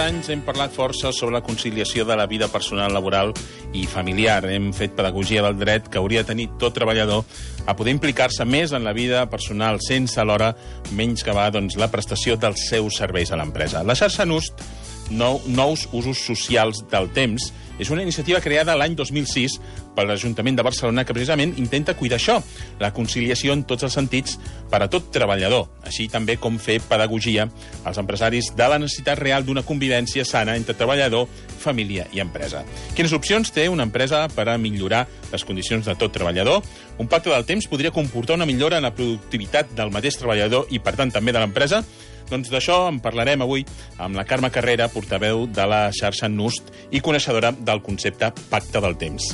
anys hem parlat força sobre la conciliació de la vida personal, laboral i familiar. Hem fet pedagogia del dret que hauria de tenir tot treballador a poder implicar-se més en la vida personal sense alhora menyscabar la prestació dels seus serveis a l'empresa. La xarxa NUST, Nous Usos Socials del Temps, és una iniciativa creada l'any 2006 per l'Ajuntament de Barcelona que precisament intenta cuidar això, la conciliació en tots els sentits per a tot treballador, així també com fer pedagogia als empresaris de la necessitat real d'una convivència sana entre treballador, família i empresa. Quines opcions té una empresa per a millorar les condicions de tot treballador? Un pacte del temps podria comportar una millora en la productivitat del mateix treballador i, per tant, també de l'empresa? Doncs d'això en parlarem avui amb la Carme Carrera, portaveu de la xarxa NUST i coneixedora del concepte Pacte del Temps.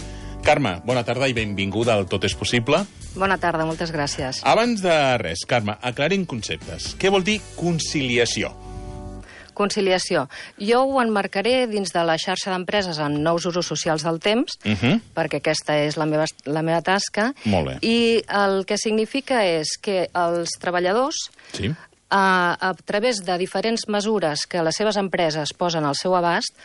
Carme, bona tarda i benvinguda al Tot és Possible. Bona tarda, moltes gràcies. Abans de res, Carme, aclarim conceptes. Què vol dir conciliació? Conciliació. Jo ho emmarcaré dins de la xarxa d'empreses en nous usos socials del temps, perquè aquesta és la meva tasca. Molt bé. I el que significa és que els treballadors... Sí. A través de diferents mesures que les seves empreses posen al seu abast,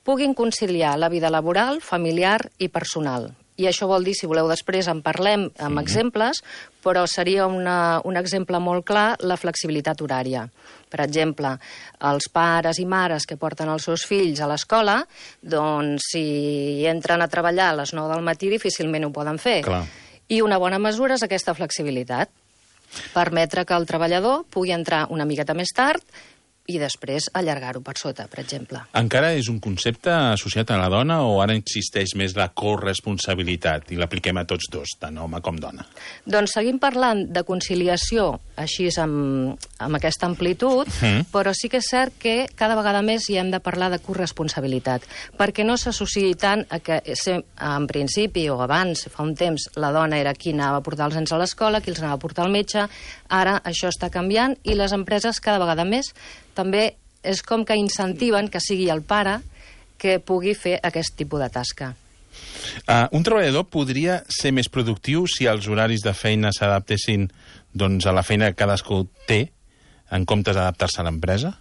puguin conciliar la vida laboral, familiar i personal. I això vol dir, si voleu després en parlem amb exemples, però seria un exemple molt clar la flexibilitat horària. Per exemple, els pares i mares que porten els seus fills a l'escola, doncs si entren a treballar a les 9 del matí difícilment ho poden fer. Clar. I una bona mesura és aquesta flexibilitat. Permetre que el treballador pugui entrar una miqueta més tard i després allargar-ho per sota, per exemple. Encara és un concepte associat a la dona o ara existeix més la corresponsabilitat i l'apliquem a tots dos, tant home com dona? Doncs seguim parlant de conciliació així amb aquesta amplitud, però sí que és cert que cada vegada més hi hem de parlar de corresponsabilitat, perquè no s'associï tant a que en principi o abans, fa un temps, la dona era qui anava a portar els nens a l'escola, qui els anava a portar al metge. Ara això està canviant i les empreses cada vegada més també és com que incentiven que sigui el pare que pugui fer aquest tipus de tasca. Un treballador podria ser més productiu si els horaris de feina s'adaptessin a la feina que cadascú té, en comptes d'adaptar-se a l'empresa?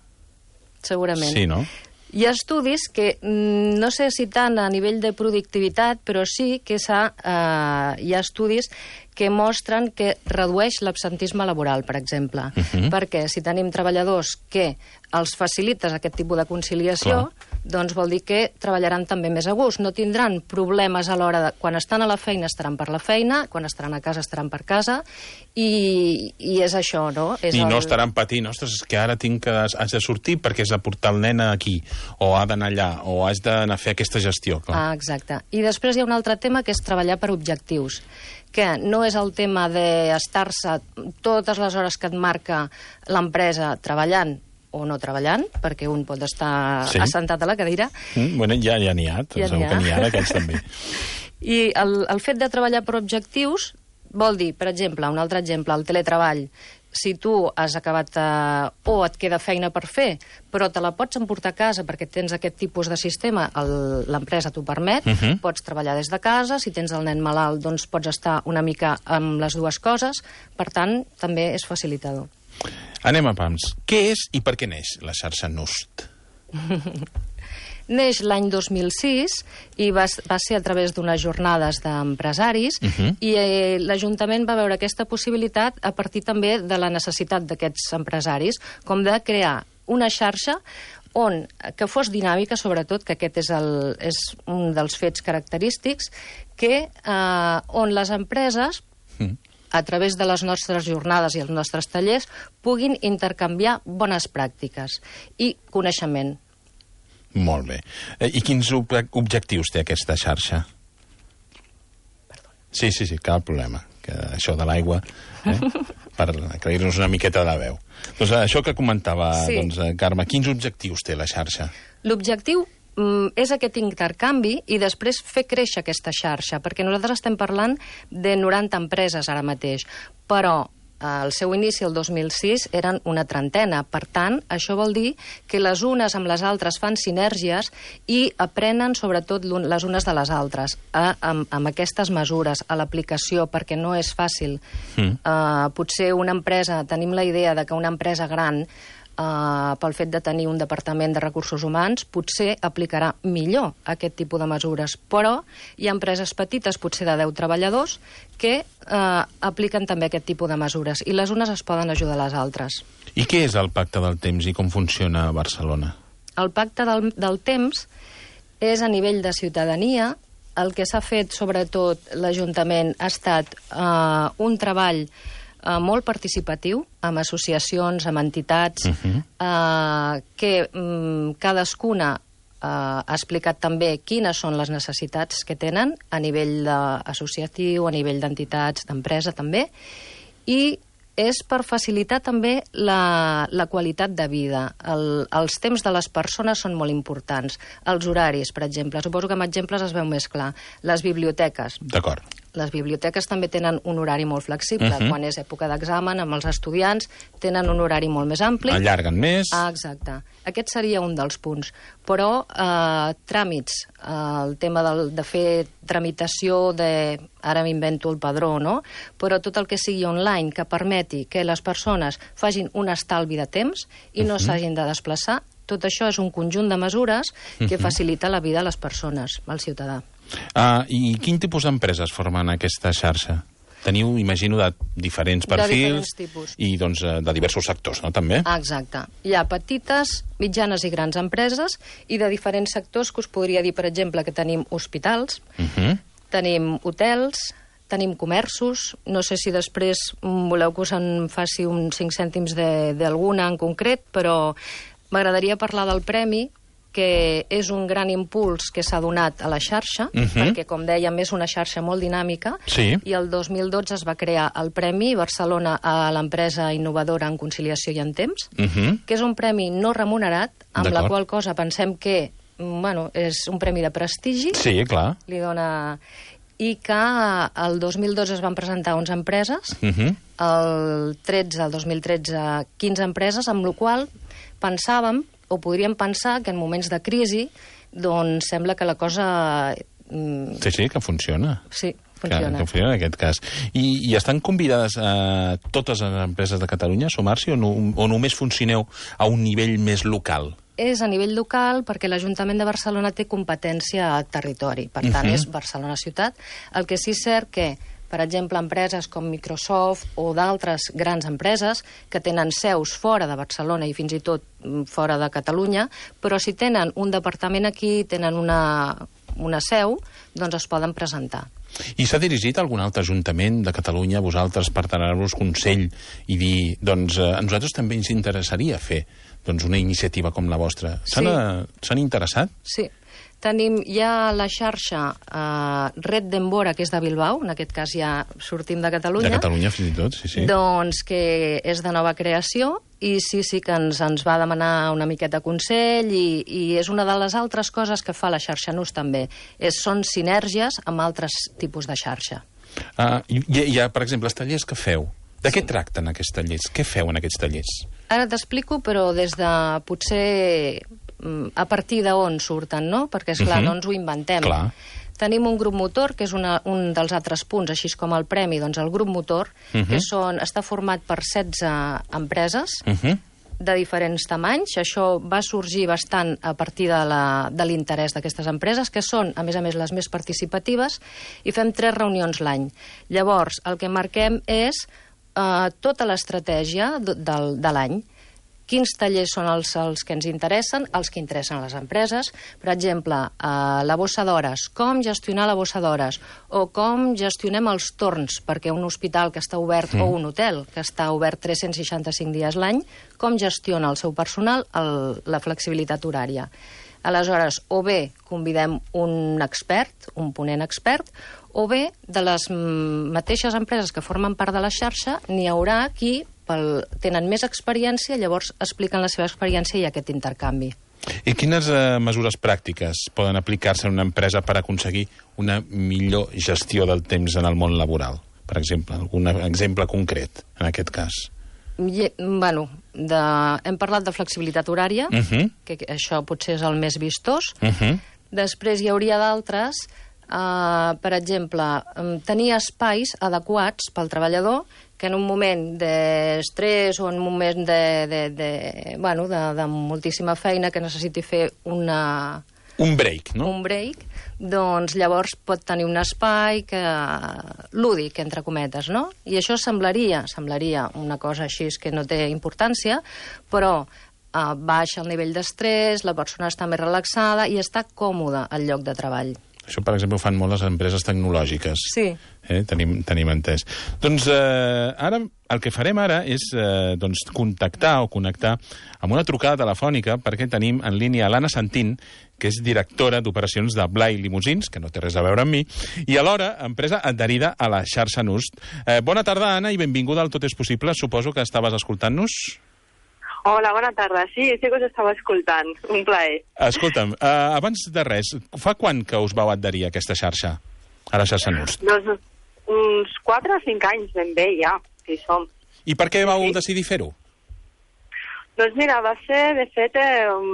Segurament. Sí, no? Hi ha estudis que, no sé si tant a nivell de productivitat, però sí que hi ha estudis que mostren que redueix l'absentisme laboral, per exemple. Perquè si tenim treballadors que els facilites aquest tipus de conciliació, doncs vol dir que treballaran també més a gust. No tindran problemes a l'hora de... Quan estan a la feina estaran per la feina, quan estaran a casa estaran per casa, i és això, no? No estaran patint, ostres, és que ara has de sortir perquè has de portar el nen aquí, o ha d'anar allà, o has d'anar a fer aquesta gestió. Clar. Exacte. I després hi ha un altre tema que és treballar per objectius, que no és el tema d'estar-se totes les hores que et marca l'empresa treballant o no treballant, perquè un pot estar assentat a la cadira. Bueno, ja n'hi ha, segur que n'hi ha d'aquests també. I el fet de treballar per objectius vol dir, per exemple, un altre exemple, el teletreball. Si tu has acabat o et queda feina per fer, però te la pots emportar a casa perquè tens aquest tipus de sistema, l'empresa t'ho permet, pots treballar des de casa, si tens el nen malalt doncs pots estar una mica amb les dues coses, per tant, també és facilitador. Anem a pams. Què és i per què neix la xarxa NUST? Neix l'any 2006 i va ser a través d'unes jornades d'empresaris i l'Ajuntament va veure aquesta possibilitat a partir també de la necessitat d'aquests empresaris, com de crear una xarxa que fos dinàmica, sobretot, que aquest és un dels fets característics, on les empreses, a través de les nostres jornades i els nostres tallers, puguin intercanviar bones pràctiques i coneixement. Molt bé. I quins objectius té aquesta xarxa? Sí, cap problema. Que això de l'aigua, per aclarir-nos una miqueta de veu. Doncs això que comentava, Carme, quins objectius té la xarxa? L'objectiu és aquest intercanvi i després fer créixer aquesta xarxa, perquè nosaltres estem parlant de 90 empreses ara mateix, però al seu inici, el 2006, eren una trentena. Per tant, això vol dir que les unes amb les altres fan sinergies i aprenen, sobretot, les unes de les altres, amb aquestes mesures, a l'aplicació, perquè no és fàcil. Potser una empresa, tenim la idea de que una empresa gran pel fet de tenir un departament de recursos humans, potser aplicarà millor aquest tipus de mesures. Però hi ha empreses petites, potser de 10 treballadors, que apliquen també aquest tipus de mesures, i les unes es poden ajudar a les altres. I què és el Pacte del Temps i com funciona a Barcelona? El Pacte del Temps és a nivell de ciutadania. El que s'ha fet, sobretot, l'Ajuntament ha estat un treball molt participatiu, amb associacions, amb entitats, que cadascuna ha explicat també quines són les necessitats que tenen a nivell associatiu, a nivell d'entitats, d'empresa també, i és per facilitar també la qualitat de vida. Els temps de les persones són molt importants. Els horaris, per exemple. Suposo que amb exemples es veu més clar. Les biblioteques. D'acord. Les biblioteques també tenen un horari molt flexible. Quan és època d'examen, amb els estudiants, tenen un horari molt més ampli. Allarguen més. Exacte. Aquest seria un dels punts. Però tràmits, el tema de fer tramitació ara m'invento el padró, no? Però tot el que sigui online, que permeti que les persones facin un estalvi de temps i no s'hagin de desplaçar, tot això és un conjunt de mesures que facilita la vida a les persones, al ciutadà. I quin tipus d'empreses formen aquesta xarxa? Teniu, imagino, de diferents perfils. De diferents tipus. I, doncs, de diversos sectors, no?, també? Exacte. Hi ha petites, mitjanes i grans empreses i de diferents sectors, que us podria dir, per exemple, que tenim hospitals, tenim hotels, tenim comerços. No sé si després voleu que us en faci uns 5 cèntims d'alguna en concret, però m'agradaria parlar del premi, que és un gran impuls que s'ha donat a la xarxa, perquè, com dèiem, és una xarxa molt dinàmica, i el 2012 es va crear el Premi Barcelona a l'empresa innovadora en conciliació i en temps, que és un premi no remunerat, amb la qual cosa pensem que és un premi de prestigi. Sí, clar. Li dona... I que el 2012 es van presentar 11 empreses, el 2013, 15 empreses, amb la qual pensàvem, o podríem pensar, que en moments de crisi, doncs sembla que la cosa... Sí, que funciona. Sí, funciona. Que funciona en aquest cas. I estan convidades totes les empreses de Catalunya a sumar-s'hi o només funcioneu a un nivell més local? És a nivell local perquè l'Ajuntament de Barcelona té competència a territori. Per tant, és Barcelona ciutat. El que sí és cert que, per exemple, empreses com Microsoft o d'altres grans empreses que tenen seus fora de Barcelona i fins i tot fora de Catalunya, però si tenen un departament aquí, tenen una seu, doncs es poden presentar. I s'ha dirigit a algun altre ajuntament de Catalunya a vosaltres per donar-vos consell i dir, doncs, a nosaltres també ens interessaria fer una iniciativa com la vostra? S'han interessat? Sí. Hi ha la xarxa Red d'Embora, que és de Bilbao, en aquest cas ja sortim de Catalunya. De Catalunya, fins i tot, sí. Doncs que és de nova creació, i sí que ens va demanar una miqueta consell, i és una de les altres coses que fa la xarxa NUS també. Són sinergies amb altres tipus de xarxa. Per exemple, els tallers que feu, de què tracten aquests tallers? Què feu en aquests tallers? Ara t'explico, però des de potser a partir d'on surten, no? Perquè, esclar, no ens ho inventem. Clar. Tenim un grup motor, que és un dels altres punts, així com el premi, doncs el grup motor, que està format per 16 empreses de diferents tamanys. Això va sorgir bastant a partir de l'interès d'aquestes empreses, que són, a més, les més participatives, i fem 3 reunions l'any. Llavors, el que marquem és tota l'estratègia de l'any. Quins tallers són els que ens interessen, els que interessen a les empreses. Per exemple, la bossa d'hores, com gestionar la bossa d'hores, o com gestionem els torns, perquè un hospital que està obert o un hotel que està obert 365 dies l'any, com gestiona el seu personal la flexibilitat horària. Aleshores, o bé convidem un expert, un ponent expert, o bé de les mateixes empreses que formen part de la xarxa n'hi haurà qui tenen més experiència, llavors expliquen la seva experiència i aquest intercanvi. I quines mesures pràctiques poden aplicar-se en una empresa per aconseguir una millor gestió del temps en el món laboral? Per exemple, algun exemple concret en aquest cas? Hem parlat de flexibilitat horària, que això potser és el més vistós. Després hi hauria d'altres, per exemple, tenir espais adequats pel treballador que en un moment d'estrès o en un moment de moltíssima feina que necessiti fer un break, no? Un break, doncs llavors pot tenir un espai lúdic, entre cometes, no? I això semblaria una cosa així que no té importància, però baixa el nivell d'estrès, la persona està més relaxada i està còmoda al lloc de treball. Això, per exemple, ho fan molt les empreses tecnològiques. Sí. Tenim entès. Doncs ara, el que farem ara és contactar o connectar amb una trucada telefònica perquè tenim en línia l'Anna Santín, que és directora d'operacions de Blai Limousins, que no té res a veure amb mi, i alhora empresa adherida a la xarxa NUST. Bona tarda, Anna, i benvinguda al Tot és possible. Suposo que estaves escoltant-nos. Hola, bona tarda. Sí que us estava escoltant. Un plaer. Escolta'm, abans de res, fa quan que us vau adherir a aquesta xarxa, a la xarxa NUST? Doncs uns 4 o 5 anys ben bé ja, que hi som. I per què vau decidir fer-ho? Doncs mira, va ser, de fet,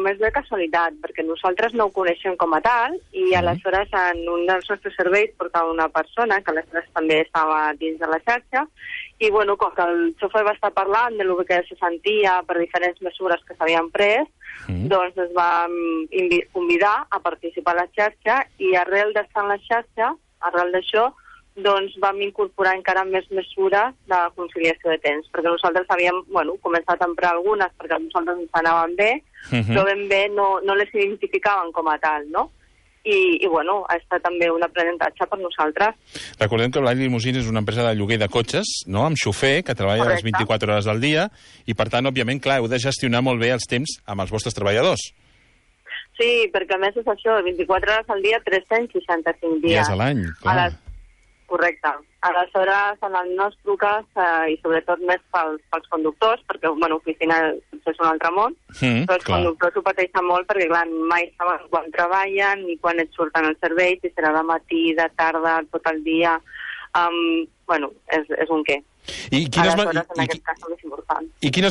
més de casualitat, perquè nosaltres no ho coneixem com a tal, i aleshores en un dels nostres serveis portava una persona, que aleshores també estava dins de la xarxa, i bueno, com que el xofer va estar parlant de lo que se sentia per diferents mesures que s'havien pres, doncs es va convidar a participar a la xarxa, i arrel d'estar en la xarxa, arrel d'això, doncs vam incorporar encara més mesures de conciliació de temps, perquè nosaltres havíem començat a emprar algunes perquè a nosaltres ens anaven bé, però ben bé no les identificaven com a tal, no? I ha estat també un aprenentatge per nosaltres. Recordem que Blai Limousins és una empresa de lloguer de cotxes, no?, amb xofer, que treballa les 24 hores al dia, i per tant, òbviament, clar, heu de gestionar molt bé els temps amb els vostres treballadors. Sí, perquè a més és això, 24 hores al dia, 365 dies. Dies a l'any, clar. Correcte. Aleshores, en el nostre truques, i sobretot més pels conductors, perquè, oficina és un altre món, però els conductors ho pateixen molt perquè, clar, mai saben quan treballen ni quan et surten els serveis, si serà de matí, de tarda, tot el dia. És un què. I quines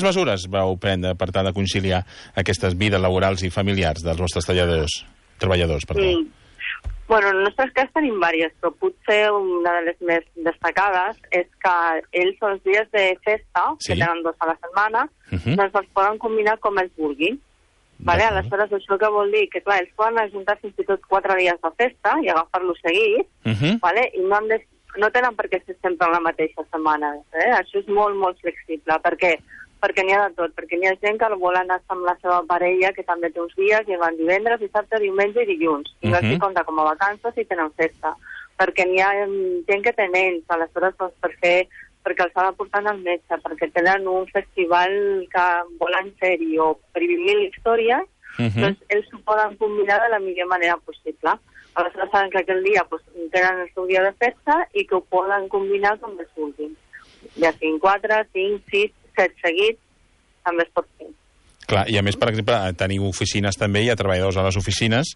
mesures vau prendre per tal de conciliar aquestes vides laborals i familiars dels vostres treballadors? En el nostre cas tenim diverses, però potser una de les més destacades és que ells els dies de festa, que tenen 2 a la setmana, doncs els poden combinar com ells vulguin. Aleshores, això que vol dir que, clar, ells poden ajuntar fins i tot 4 dies de festa i agafar-los seguits, i no tenen per què ser sempre la mateixa setmana. Això és molt, molt flexible, perquè n'hi ha de tot, perquè n'hi ha gent que vol anar amb la seva parella, que també té uns dies, i van divendres, dissabte, diumenge i dilluns. I no s'hi compta com a vacances i tenen festa. Perquè n'hi ha gent que té nens, aleshores, perquè els ha de portar al metge, perquè tenen un festival que volen fer-hi, o per vivir l'història, doncs ells ho poden combinar de la millor manera possible. Aleshores saben que aquell dia tenen el seu dia de festa i que ho poden combinar com els vulguin. Ja siguin 4, 5, 6, 7 seguits, també es pot fer. Clar, i a més, per exemple, teniu oficines també, hi ha treballadors a les oficines,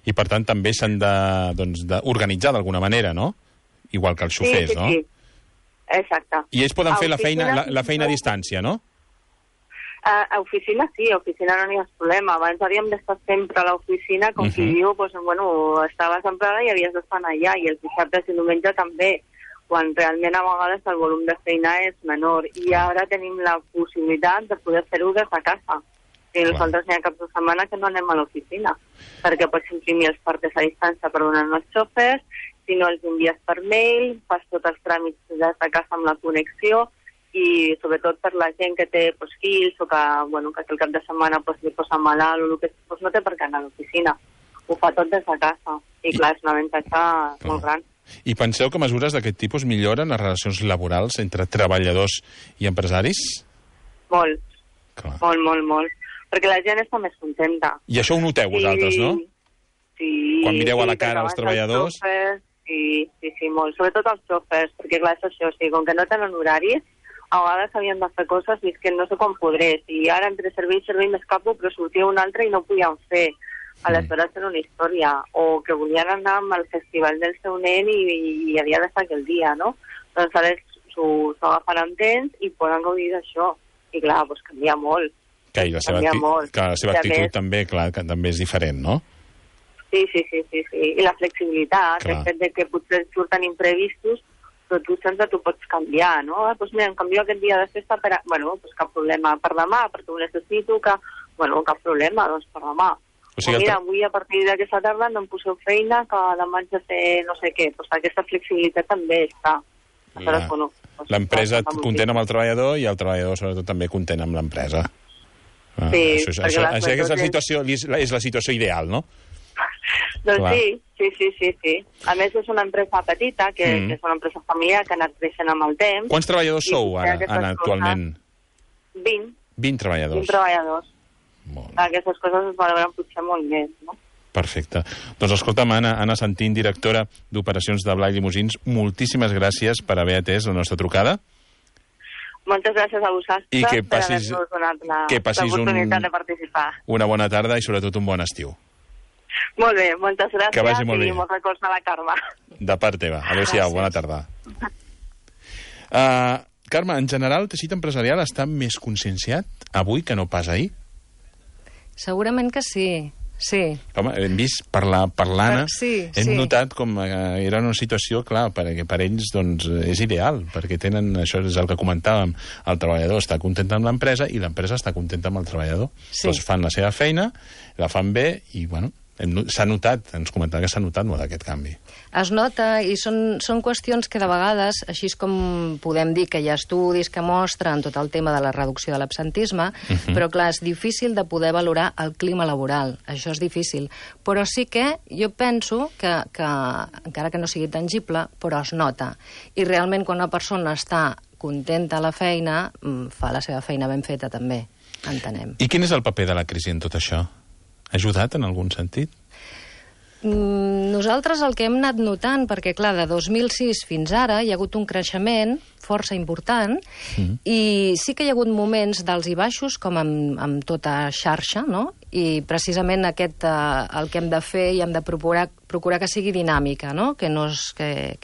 i per tant també s'han d'organitzar d'alguna manera, no? Igual que els xofers, no? Sí, exacte. I ells poden fer la feina a distància, no? A oficina sí, a oficina no n'hi ha problema. Abans havíem d'estar sempre a l'oficina, com qui diu, estaves emprada i havies d'estar allà, i els dissabtes i diumenge també, quan realment a vegades el volum de feina és menor. I ara tenim la possibilitat de poder fer-ho des de casa. I nosaltres n'hi ha caps de setmana que no anem a l'oficina, perquè pots imprimir els partes a distància per donar als xofers, si no els envies per mail, fas tots els tràmits des de casa amb la connexió, i sobretot per la gent que té fills o que el cap de setmana li posa malalt o el que no té per què anar a l'oficina. Ho fa tot des de casa. I clar, és un avantatge molt gran. I penseu que mesures d'aquest tipus milloren les relacions laborals entre treballadors i empresaris? Molt. Molt. Perquè la gent està més contenta. I això ho noteu vosaltres, no? Sí. Quan mireu a la cara als treballadors? Sí, molt. Sobretot els xofers, perquè clar, és això, com que no tenen horaris, a vegades havien de fer coses i és que no sé com podré. Si ara entre servei i servei m'escapo, però sortia un altre i no ho podien fer. Aleshores era una història. O que volien anar al festival del seu nen i havia de ser aquell dia, no? Doncs ara s'ho agafen amb temps i poden gaudir d'això. I clar, canvia molt. I la seva actitud també, clar, que també és diferent, no? Sí. I la flexibilitat, el fet de que potser et surten imprevistos, però tu sempre t'ho pots canviar, no? Doncs mira, em canvio aquest dia de festa per... Bueno, doncs cap problema per demà, perquè ho necessito, que... Bueno, cap problema, doncs per demà. O mira, avui a partir d'aquesta tarda no em poseu feina, que demà haig de fer no sé què. Doncs aquesta flexibilitat també està. Aleshores, bueno, l'empresa content amb el treballador i el treballador sobretot també content amb l'empresa. Sí, això és la situació ideal, no? Doncs sí. A més, és una empresa petita, que és una empresa familiar, que ha anat creixent amb el temps. Quants treballadors sou ara, Anna, actualment? 20. 20 treballadors. 20 treballadors. Aquestes coses es valoren potser molt més, no? Perfecte. Doncs escolta'm, Anna Santín, directora d'Operacions de Blai Limusins, moltíssimes gràcies per haver atès la nostra trucada. Moltes gràcies a vosaltres per haver-nos donat l'oportunitat de participar. Una bona tarda i sobretot un bon estiu. Molt bé, moltes gràcies. Que vagi molt bé. I molts records a la Carme. De part teva. Adéu-siau, bona tarda. Carme, en general, el teixit empresarial està més conscienciat avui que no pas ahir? Segurament que sí. Sí. Home, hem vist per l'Anna, hem notat com era una situació, clar, perquè per ells doncs, és ideal, perquè tenen, això és el que comentàvem, el treballador està content amb l'empresa i l'empresa està contenta amb el treballador. Sí. Doncs fan la seva feina, la fan bé i, bueno, s'ha notat, ens comentava que s'ha notat molt aquest canvi. Es nota i són qüestions que de vegades, així com podem dir que hi ha estudis que mostren tot el tema de la reducció de l'absentisme, però clar, és difícil de poder valorar el clima laboral, això és difícil. Però sí que jo penso que encara que no sigui tangible, però es nota. I realment quan una persona està contenta a la feina, fa la seva feina ben feta també, entenem. I quin és el paper de la crisi en tot això? Ha ajudat en algun sentit? Nosaltres el que hem anat notant, perquè clar, de 2006 fins ara hi ha hagut un creixement força important i sí que hi ha hagut moments d'alts i baixos, com amb tota xarxa, no? I precisament aquest, el que hem de fer i hem de procurar que sigui dinàmica, no? Que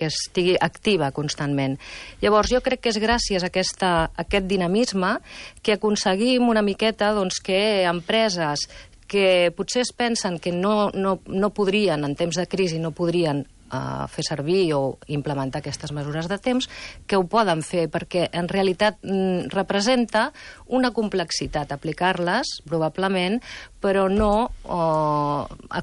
estigui activa constantment. Llavors, jo crec que és gràcies a aquest dinamisme que aconseguim una miqueta doncs, que empreses que potser es pensen que no podrien, en temps de crisi, no podrien fer servir o implementar aquestes mesures de temps, que ho poden fer, perquè en realitat representa una complexitat aplicar-les, probablement, però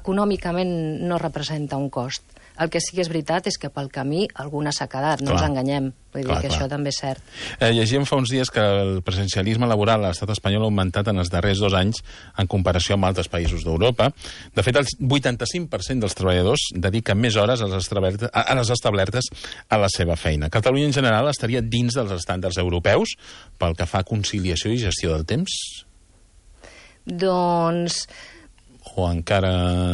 econòmicament no representa un cost. El que sí que és veritat és que pel camí alguna s'ha quedat, no ens enganyem. Vull dir que això també és cert. Llegíem fa uns dies que el presencialisme laboral a l'estat espanyol ha augmentat en els darrers 2 anys en comparació amb altres països d'Europa. De fet, el 85% dels treballadors dediquen més hores a les establertes a la seva feina. Catalunya, en general, estaria dins dels estàndards europeus pel que fa a conciliació i gestió del temps? Doncs... O encara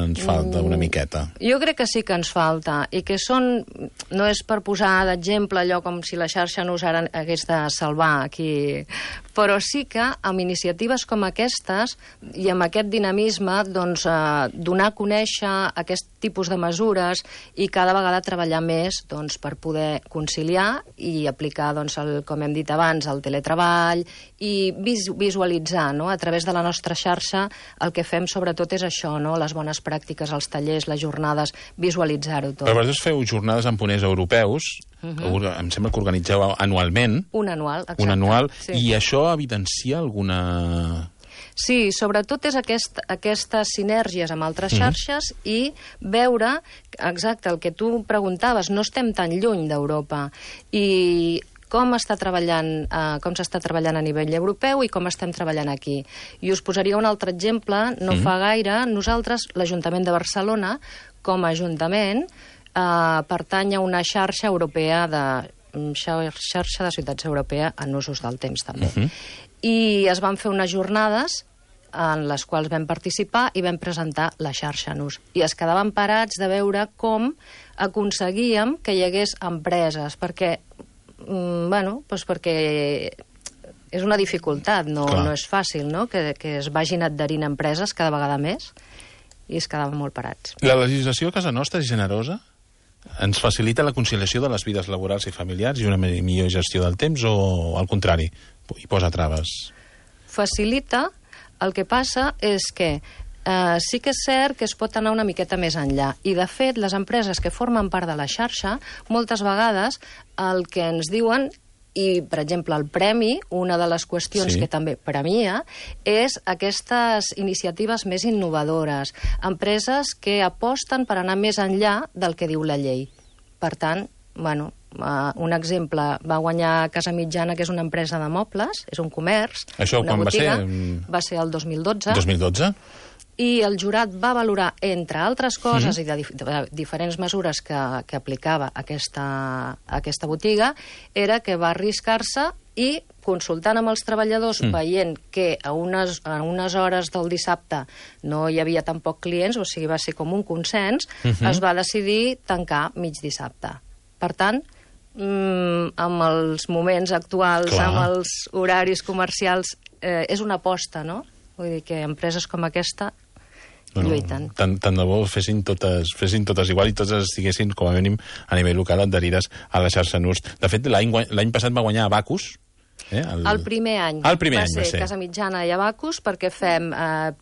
ens falta una miqueta? Jo crec que sí que ens falta, i que no és per posar d'exemple allò com si la xarxa no hagués de salvar aquí, però sí que amb iniciatives com aquestes i amb aquest dinamisme doncs, donar a conèixer aquest tipus de mesures i cada vegada treballar més doncs, per poder conciliar i aplicar, doncs, com hem dit abans, el teletreball i visualitzar, no? A través de la nostra xarxa el que fem sobretot és això, no? Les bones pràctiques, els tallers, les jornades, visualitzar-ho tot. Però vosaltres feu jornades amb ponents europeus, em sembla que organitzeu anualment. Un anual, exacte. Un anual, sí. I això evidencia alguna... Sí, sobretot és aquestes sinergies amb altres xarxes i veure, exacte, el que tu preguntaves, no estem tan lluny d'Europa i com s'està treballant a nivell europeu i com estem treballant aquí. I us posaria un altre exemple. No fa gaire, nosaltres, l'Ajuntament de Barcelona, com a Ajuntament, pertany a una xarxa europea xarxa de ciutats europea en usos del temps, també. I es van fer unes jornades en les quals vam participar i vam presentar la xarxa en ús. I es quedaven parats de veure com aconseguíem que hi hagués empreses, perquè perquè és una dificultat, no és fàcil, no? Que es vagin adherint empreses cada vegada més i es quedaven molt parats. La legislació a casa nostra és generosa? Ens facilita la conciliació de les vides laborals i familiars i una millor gestió del temps o, al contrari, hi posa traves? Facilita. El que passa és que Sí que és cert que es pot anar una miqueta més enllà. I, de fet, les empreses que formen part de la xarxa, moltes vegades el que ens diuen, i, per exemple, el premi, una de les qüestions que també premia, és aquestes iniciatives més innovadores, empreses que aposten per anar més enllà del que diu la llei. Per tant, bueno, un exemple, va guanyar Casa Mitjana, que és una empresa de mobles, és un comerç, això una quan botiga. va ser? Va ser el 2012. 2012? I el jurat va valorar, entre altres coses, i de diferents mesures que aplicava aquesta botiga, era que va arriscar-se i, consultant amb els treballadors, veient que a unes hores del dissabte no hi havia tampoc clients, o sigui, va ser com un consens, es va decidir tancar mig dissabte. Per tant, amb els moments actuals, amb els horaris comercials, és una aposta, no? Vull dir que empreses com aquesta lluiten. Tant de bo fessin totes igual i totes estiguessin, com a mínim, a nivell local adherides a la xarxa NURST. De fet, l'any passat va guanyar Abacus. El primer any va ser Casa Mitjana i Abacus, perquè fem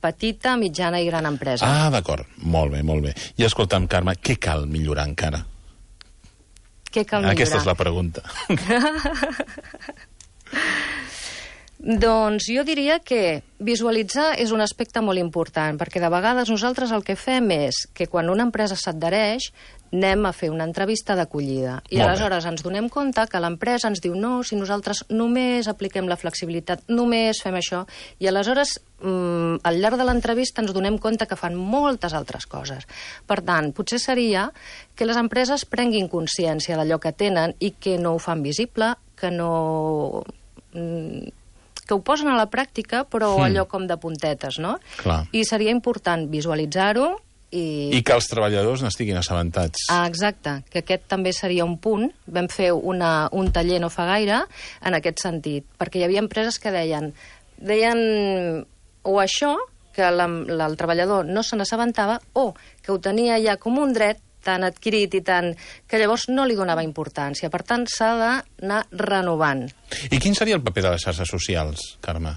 petita, mitjana i gran empresa. Ah, d'acord. Molt bé, molt bé. I escolta'm, Carme, què cal millorar encara? Què cal millorar? Aquesta és la pregunta. Doncs jo diria que visualitzar és un aspecte molt important, perquè de vegades nosaltres el que fem és que quan una empresa s'adhereix anem a fer una entrevista d'acollida. I aleshores ens donem compte que l'empresa ens diu no, si nosaltres només apliquem la flexibilitat, només fem això, i aleshores al llarg de l'entrevista ens donem compte que fan moltes altres coses. Per tant, potser seria que les empreses prenguin consciència d'allò que tenen i que no ho fan visible, que no... que ho posen a la pràctica, però allò com de puntetes, no? Clar. I seria important visualitzar-ho i que els treballadors n'estiguin assabentats. Exacte, que aquest també seria un punt. Vam fer un taller no fa gaire en aquest sentit, perquè hi havia empreses que deien o això, que el treballador no se n'assabentava, o que ho tenia ja com un dret tan adquirit i tant, que llavors no li donava importància. Per tant, s'ha d'anar renovant. I quin seria el paper de les xarxes socials, Carme?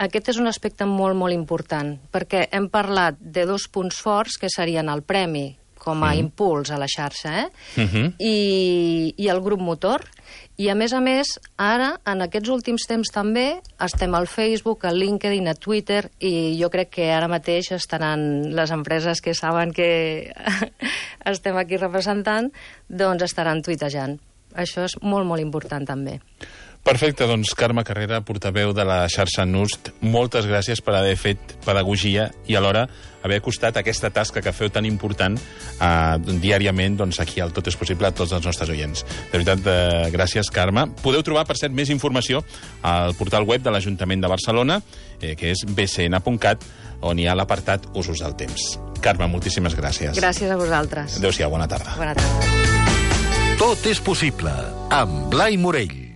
Aquest és un aspecte molt, molt important, perquè hem parlat de dos punts forts, que serien el premi com a impuls a la xarxa, i el grup motor. I, a més, ara, en aquests últims temps també, estem al Facebook, al LinkedIn, a Twitter, i jo crec que ara mateix estaran les empreses que saben que estem aquí representant, doncs estaran tuitejant. Això és molt, molt important, també. Perfecte, doncs Carme Carrera, portaveu de la xarxa NURST, moltes gràcies per haver fet pedagogia i alhora haver acostat aquesta tasca que feu tan important diàriament aquí al Tot és Possible a tots els nostres oients. De veritat, gràcies, Carme. Podeu trobar, per cert, més informació al portal web de l'Ajuntament de Barcelona, que és bcn.cat, on hi ha l'apartat Usos del temps. Carme, moltíssimes gràcies. Gràcies a vosaltres. Adéu-siau, bona tarda. Bona tarda. Tot és possible, amb Blai Morell.